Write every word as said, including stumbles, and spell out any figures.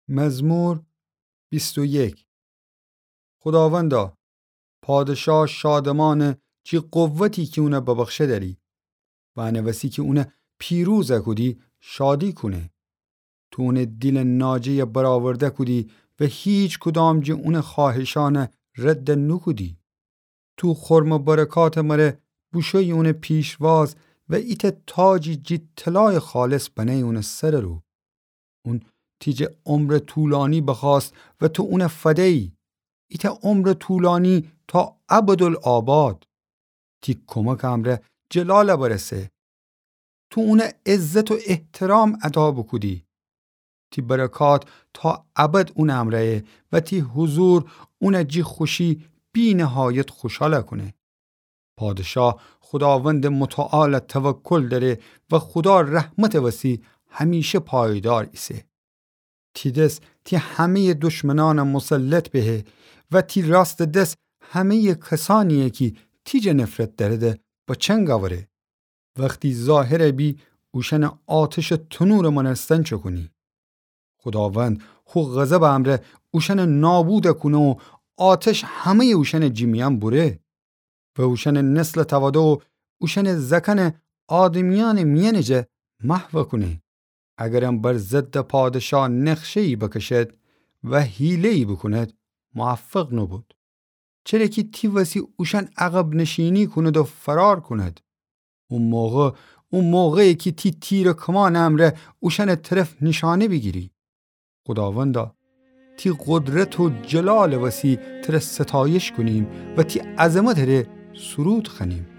مزمور بیست و یک. خوداوندا، پادشاه شادمانه جی قوتی کی اونه ببخشه دأری و انه وسی کی اونه پیروز کودی شادی کونه. تو اونه دیل ناجه‌یه برآورده کودی و هیچ کدام جی اونه خواهشانه رد نوکودی. تو خرمٚ برکاتٚ مره بوشویی اونٚ پیشواز و ایتأ تاجی جی طلایٚ خالص بنه‌یی اونٚ سرٚ رو. اون تی جٚه عمرٚ طولانی بخوأست و تو اونه فدیی. ایتأ عمرٚ طولانی تا ابدالآباد. تی کمکٚ امرأ جلال برسه. تو اونه عزت و احترام ادا بوکودی. تی برکات تا ابد اونٚ امرأیه و تی حضور اونه جی خوشی بی‌نهایت خوشال کونه. پادشاه خوداوندٚ متعال توکل دأره و خودا رحمتٚ وسی همیشه پایدار ایسه. تی دس تی همه‌یٚ دشمنأن مسلط بهه و تی راستٚ دس همه‌یٚ کسأنیی کی تی جٚه نفرت دأرده بچنگ اوره. وختی ظاهر بی، اوشأنٚ آتشٚ تنورٚ مأنستن چکونی. خوداوند خو غضبٚ امرأ اوشأنٚ نابود کونه و آتش همه‌یٚ اوشأنٚ جیمیأن بوره و اوشأنٚ نسلٚ توده و اوشأنٚ زأکأنٚ آدمیأنٚ میأنٚ جٚه محو کونه. اگرم بر ضدٚ پادشاه نقشه‌یی بکشد و حیله‌یی بوکوند، موفق نوبود. چره کی تی وسی اوشأن عقب‌نشینی کوند و فرار کوند. او موقع، او موقعه کی تی تیر و کمانٚ امرأ اوشأنٚ طرف نیشانه بیگیری. خوداوندا، تی قدرت و جلالٚ وسی تره ستایش کونیم و تی عظمتٚ ره سرود خوأنیم.